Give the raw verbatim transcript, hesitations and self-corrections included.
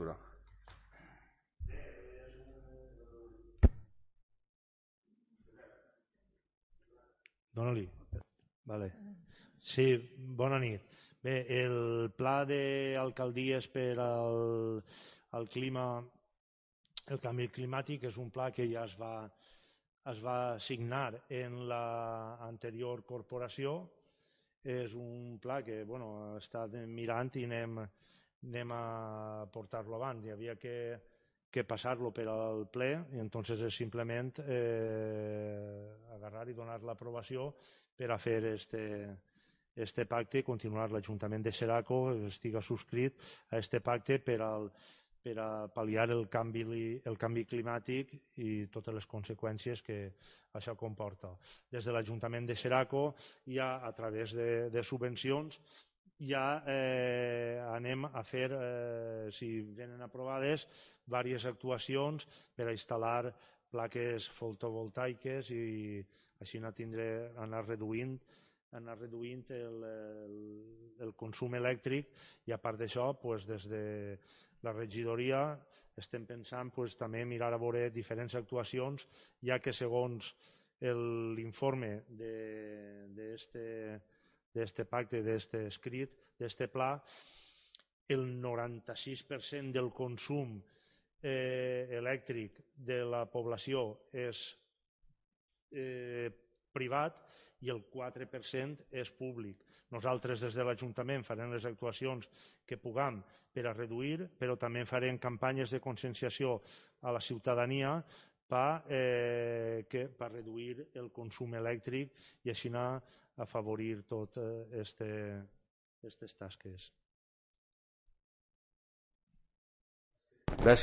d'infraestructura. Dóna-li. Vale. Sí, bona nit. Bé, el pla d'alcaldies per al, al clima, el canvi climàtic és un pla que ja es va, es va signar en l'anterior corporació. És un pla que bueno, he estat mirant i anem, anem a portar-lo avant. Hi havia que, que passar-lo per al ple i entonces és simplement eh, agarrar i donar l'aprovació per a fer este, este pacte i continuar. L'Ajuntament de Xeraco estiga subscrit a este pacte per, al, per a pal·liar el canvi, el canvi climàtic i totes les conseqüències que això comporta. Des de l'Ajuntament de Xeraco ja a través de, de subvencions ja eh, anem a fer, eh, si venen aprovades, diverses actuacions per a instal·lar plaques fotovoltaiques i així anar, tindre, anar reduint, anar reduint el, el, el consum elèctric i a part d'això, pues, des de la regidoria estem pensant pues, també mirar a veure diferents actuacions, ja que segons l'informe d'este d'este pacte, d'este escrit, d'este pla, el noranta-sis per cent del consum eh, elèctric de la població és eh, privat i el quatre per cent és públic. Nosaltres des de l'Ajuntament farem les actuacions que puguem per a reduir, però també farem campanyes de conscienciació a la ciutadania per eh, per reduir el consum elèctric i així anar a afavorir totes aquestes tasques. Gràcies.